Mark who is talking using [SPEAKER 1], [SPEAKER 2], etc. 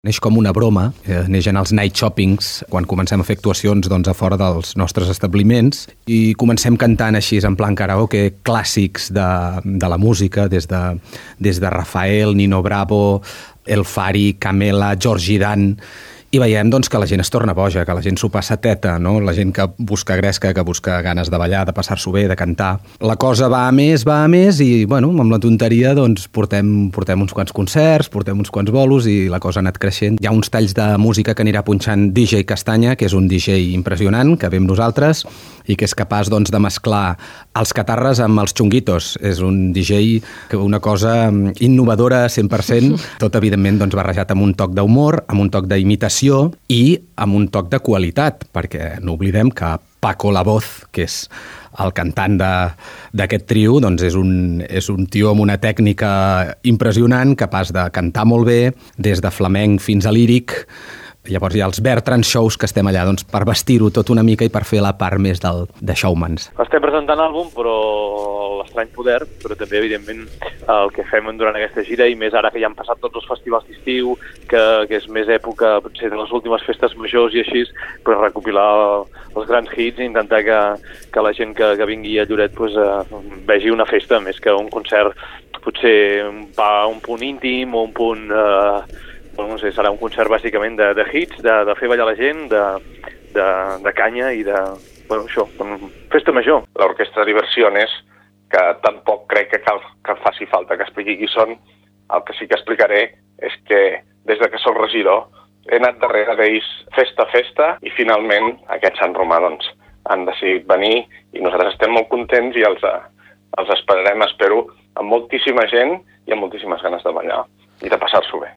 [SPEAKER 1] Neix com una broma, neix en els night shoppings, quan comencem a fer actuacions a fora dels nostres establiments i comencem cantant així en plan karaoke clàssics de la música, des de Rafael, Nino Bravo, El Fari, Camela, Georgie Dan, i veiem que la gent es torna boja, que la gent s'ho passa teta, no? La gent que busca gresca, que busca ganes de ballar, de passar-s'ho bé, de cantar. La cosa va a més i, amb la tonteria, portem uns quants concerts, portem uns quants bolos i la cosa ha anat creixent. Hi ha uns talls de música que anirà punxant DJ Castanya, que és un DJ impressionant, que ve amb nosaltres i que és capaç de mesclar els catarres amb els xunguitos. És un DJ que una cosa innovadora 100%, tot evidentment barrejat amb un toc d'humor, amb un toc d'imitació i amb un toc de qualitat, perquè no oblidem que Paco La Voz, que és el cantant d'aquest trio, és un tio amb una tècnica impressionant, capaç de cantar molt bé, des de flamenc fins a líric. Llavors hi ha els Bertran Shows, que estem allà per vestir-ho tot una mica i per fer la part més de showmans.
[SPEAKER 2] Estem presentant àlbum, però l'Estrany Poder, però també, evidentment, el que fem durant aquesta gira, i més ara que ja han passat tots els festivals d'estiu, que és més època, potser, de les últimes festes majors i així, recopilar els grans hits i intentar que la gent que vingui a Lloret vegi una festa més que un concert, potser un punt íntim o un punt... no sé, serà un concert bàsicament de hits, de fer ballar la gent, de canya i de... això, festa major.
[SPEAKER 3] L'orquestra Diversiones, que tampoc crec que cal que faci falta que expliqui qui són. El que sí que explicaré és que des de que soc regidor he anat darrere d'ells festa a festa i finalment aquests Sant Romà han decidit venir i nosaltres estem molt contents i els esperarem, espero, amb moltíssima gent i amb moltíssimes ganes de ballar i de passar-s'ho bé.